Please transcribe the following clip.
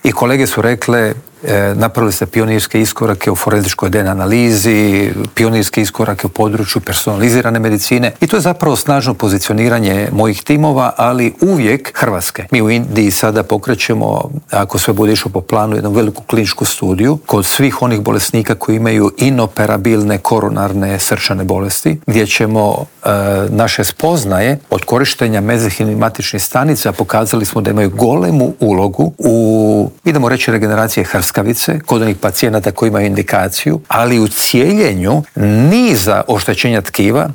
I kolege su rekle, napravili ste pionirske iskorake u forenzičkoj DNA analizi, pionirske iskorake u području personalizirane medicine i to je zapravo snažno pozicioniranje mojih timova, ali uvijek Hrvatske. Mi u Indiji sada pokrećemo, ako sve bude išlo po planu, jednu veliku kliničku studiju kod svih onih bolesnika koji imaju inoperabilne koronarne srčane bolesti, gdje ćemo naše spoznaje od korištenja mezenhimnih matičnih stanica pokazali smo da imaju golemu ulogu u, idemo reći, regeneracije hrskavice kod onih pacijenata koji imaju indikaciju, ali u cijeljenju niza oštećenja tkiva